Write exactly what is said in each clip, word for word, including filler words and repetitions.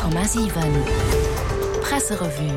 Komma siwen Presserevue.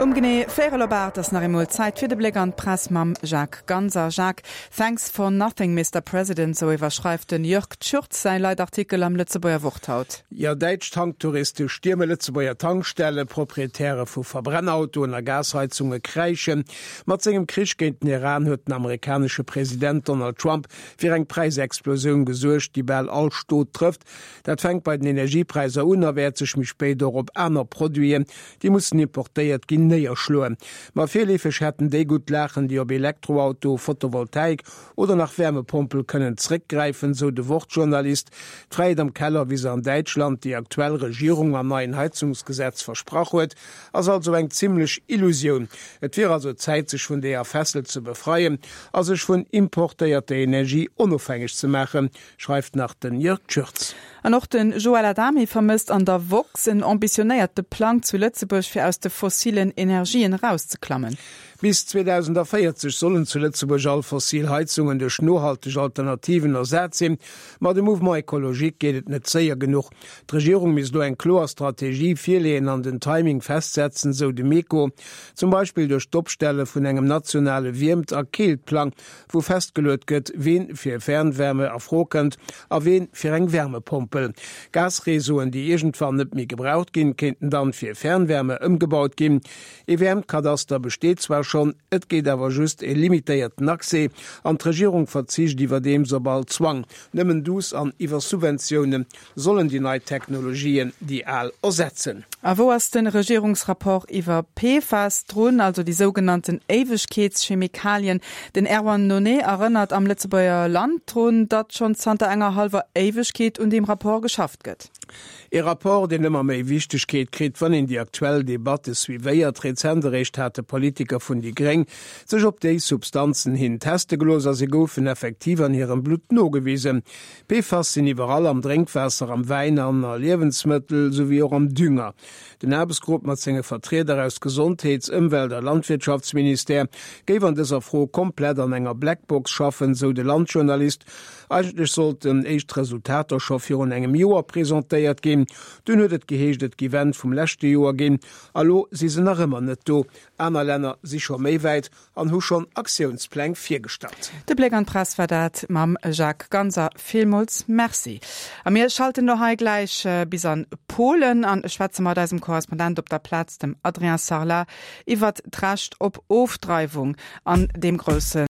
Um genee véierel op aacht ass nach eemol Zäit fir de Bléck an d'Press mam Jacques Ganser. Jacques, Thanks for nothing, Mister President, sou iwwerschreift den Jörg Tschürtz säi Leitartikel am Lëtzebuerger Wort haut. Jo, däitsch Tanktouriste stierme Lëtzebuerger Tankstellen, Proprietäre vu Verbrennautoen a Gasheizunge kräischen. Mat sengem Krich géint den Iran huet den amerikanesche President Donald Trump fir eng Präisexplosioun gesuergt, déi bal all Stot trëfft. Dat fänkt bei den Energiepräisser un a wäert sech méi spéit och op aner Produiten, déi mussen importéiert ginn, néierschloen. Ma virleefeg hätten déi gutt laachen, déi op Elektroauto, Photovoltaik oder nach Wärmepompel kënnen zréckgräifen, sou de Wort-Journalist. D'Fräiheet am Keller, wéi se an Däitschland déi aktuell Regierung mam neien Heizungsgesetz versprach huet, ass also eng zimmlech Illusioun. Et wier also Zäit, sech vun deeër Fessel ze befreien a sech vun importéierter Energie onofhängeg ze maachen, schreift nach den Jörg Tschürtz. An och de Joël Adami vermësst an der woxx en ambitionéierte Plang zu Lëtzebuerg fir aus de fossilen Energien erauszeklammen. Bis zweedausendvéierzeg sollen zu Lëtzebuerg all fossil Heizungen duerch nohalteg Alternativen ersat sinn. Ma dem Mouvement Ecologique geet et net séier genuch. D'Regierung misst elo eng kloer Strategie virleeën an den Timing festsetzen, sou de Meco. Zum Beispill duerch d'Opstelle vun engem nationale Wiermt a Keeltplang, wou festgeluet gëtt, ween fir Fernwärme a Fro kënnt a ween fir eng Wärmepompel. Gasreseauen, déi iergendwann net méi gebraucht ginn, kéinten dann fir Fernwärme ëmgebaut ginn. Ee Wäermtkadaster besteet zwar schonn, et geet awer just e limitéierten Accès an d'Regierung verzicht iwwerdeems op all Zwang. Nëmmen duuss an iwwer Subventioune sollen déi nei Technologien déi al ersetzen. A wou ass de Regierungsrapport iwwer P F A S drun, also déi sougenannten Éiwegkeetschemikalien? Den Erwan Nonet erënnert am Lëtzebuerger Land drun, datt schonn zanter enger hallwer Éiwegkeet un deem Rapport geschafft gëtt. E Rapport, deen ëmmer méi Wichtegkeet kritt, wann een déi aktuell Debatte suivéiert. Rezent eréischt hate Politiker vun déi Gréng sech op déi Substanzen hin teste gelooss a se goufen effektiv an hirem Blutt nogewisen. P F A S sinn iwwerall, am Drénkwaasser, am Wäin an a Liewensmëttel souwéi och am Dünger. Den Aarbechtsgrupp mat senge Vertrieder aus Gesondheets-, Ëmwelt a Landwirtschaftsministère géif an dëser Fro komplett an enger Blackbox schaffen, sou de Land-Journalist. Eigentlech sollten éischt Resultater scho virun engem Joer presentéiert ginn. Dunn huet et geheescht, et géif Enn vum leschte Joer ginn. A lo si se nach ëmmer net do. Aner Länner si scho méi wäit an hu schonn Aktiounspläng virgestallt. De Bléck an d'Press war dat mam Jacques Ganser. Villmools Merci. A mir schalten lo hei gläich bis an Polen an schwätze mat eisem Korrespondent op der Plaz, dem Adrien Sarlat, iwwert d'Recht op Ofdreiwung an deem grousse